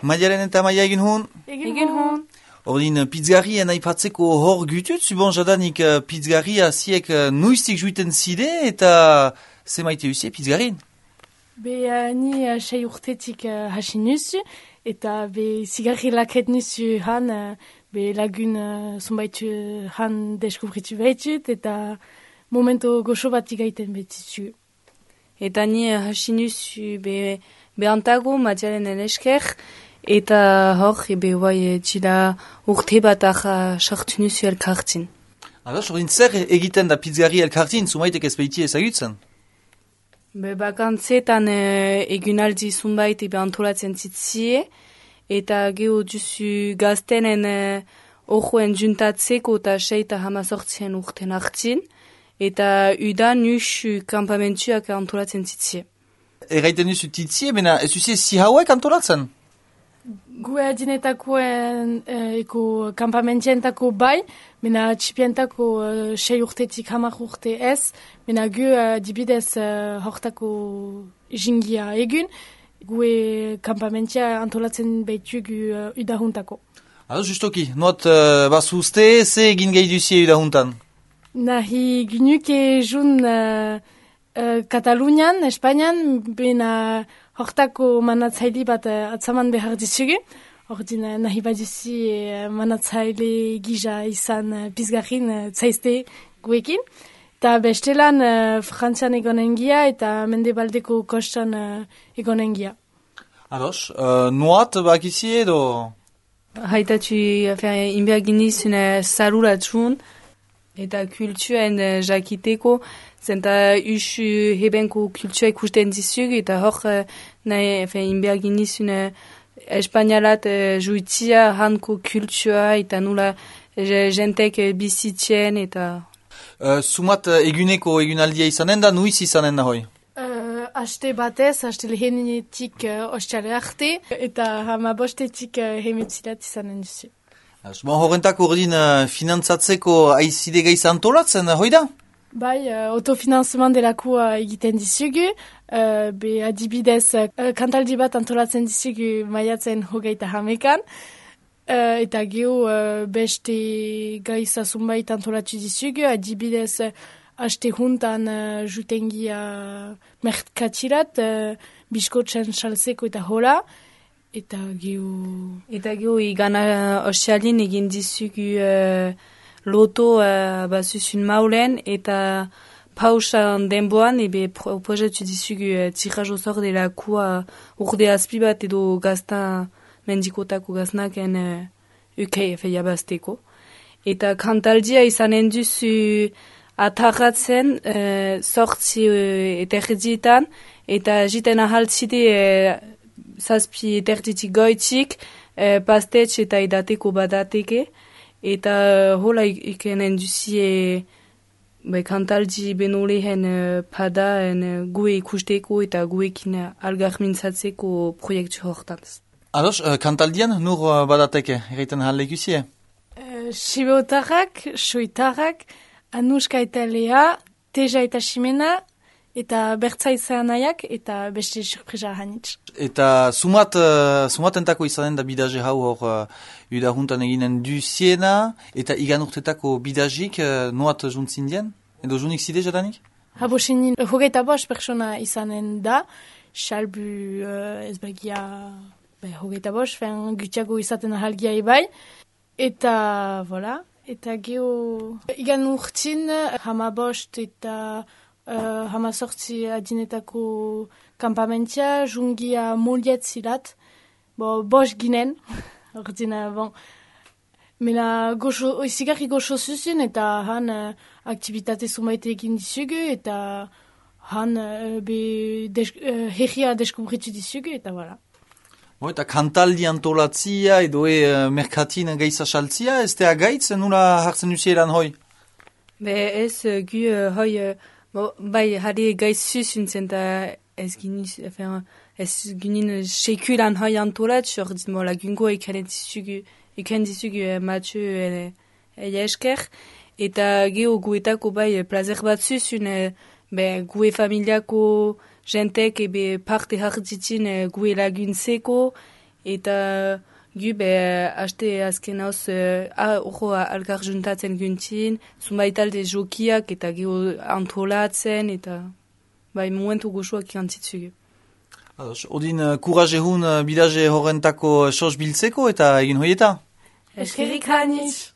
Maialen eta Maia egin hon? Egin hon. Ordin, pizzgarrien aipatzeko hor gutut, zubon jadanik pizzgarria ziek nuiztik juiten zide eta ze maite usie pizzgarrien? Ni 6 urtetik hasi nuzu, eta zigarri laket nuzu han, lagun zonbaitu han deskubritu behitut, eta momento goxo bat igaiten behitut. Eta ni hasi nuzu behantago Maialen esker, eta hor, txila urte bat sartu nuzu elkartin. Ados, ordin zer egiten da pizzgarri elkartin, zumaitek ez behiti ezagutzen? Bakantzetan egunaldi zunbait antolatzen zitzie, eta geho duzu gaztenen orjoen juntatzeko eta 6 eta 18 urten hartzin, eta udan nusu kampamentuak antolatzen zitzie. Erraiten duzu titzie, bena ez duzie si hauek antolatzen? Gue adinetakoen kampamentzientako bai, mena txipientako 6 urtetik 10 urte ez, mena gu dibidez hortako jingia egun, gue kampamentzia antolatzen behitugu udahuntako. Ados, justoki, noat bazuzte, ze egin gehi duzie udahuntan? Nahi ginuke jun Katalunian, Espainian, bena hortako manatzaile bat atzaman behar dizugu. Ordin nahi baduzi manatzaile gisa izan pizgarrin zaizte guekin. Eta bestelan Frantzian egonengia eta Mendebaldeko kostan egonengia. Ados, noat bakizie edo? Haitatu inberginizun zaruratun eta kultuen jakiteko, zenta usu hebenko kultua ikusten dizugu, eta hor inberginizun espainalat juitzia hanko kultua eta nula jentek bizitzen eta... Sumat egunaldia izanen da, nuiz izanen da hoi? Aste batez, aste lehenetik ostale arte, eta 15etik hemetzilat izanen duzu. Horrentako ordin finantzatzeko aizide gaiz antolatzen, hoi da? Bai, autofinanzeman delakoa egiten dizugu, adibidez kantaldi bat antolatzen dizugu maiatzen 21 eta geho beste gaiza zunbait antolatu dizugu, adibidez aste juntan jutengia merkatxirat, biskotzen salzeko eta hola, eta geho igana ostialin egin dizugu loto bazuzun maulen, eta pausan denboan projetu dizugu tirrajo zor delakua urde azpi bat edo gazta mendikotako gaznaken ukei jabazteko. Eta kantaldia izanen duzu atarratzen sortzi eterdietan, eta jiten ahaltzide zazpi eterditik goitik, pastetx eta edateko badateke, eta hola ikenen duzie kantaldi benolehen pada gue ikusteko eta guekin algarmintzatzeko proiektu hortaz. Ados, kantaldian nur badateke, erreiten halekuzie? Sibeotarrak, soitarrak, Anuska eta Lea, Teja eta Ximena, eta Bertza izan nahiak, eta beste surpresa hanitz. Eta sumatentako izanen da bidaje hau hor udahuntan eginen duziena, eta igan urtetako bidazik noat juntzin dien? Edo junik zide jadanik? Habosenin, 25 persona izanen da, salbu ezbergia 25, gutiago izaten ahalgia ebai, eta, voilà. Eta geho, igan urtin, 15 eta 18 adinetako kampamentia, jungia moliet zilat, bost ginen, ordina, mena zigarri goxo zuzun, eta han aktivitate zumaite egin dizugu, eta han herria deskubritu dizugu, eta voilà. Eta kantaldi antolatzia edo merkatin gaiza saltzia, ez da gaitz nula hartzen duzielan hoi? Ez gu hoi, bai harri gaiz zuzuntzen da ez ginen sekulan hoi antolatz, ordin lagungo eken dizugu Mathieu esker, eta geho guetako bai plazer bat zuzun, gue familiako jentek parte hartzitzen gue laguntzeko, eta gu haste azken hauz alkar juntatzen guntin, zunbait alde jokiak eta gu antolatzen, eta momentu goxuak ikantzitzu. Odin kuraje hun bidaje horrentako sos biltzeko eta egin hoieta? Eskerrik hainitz!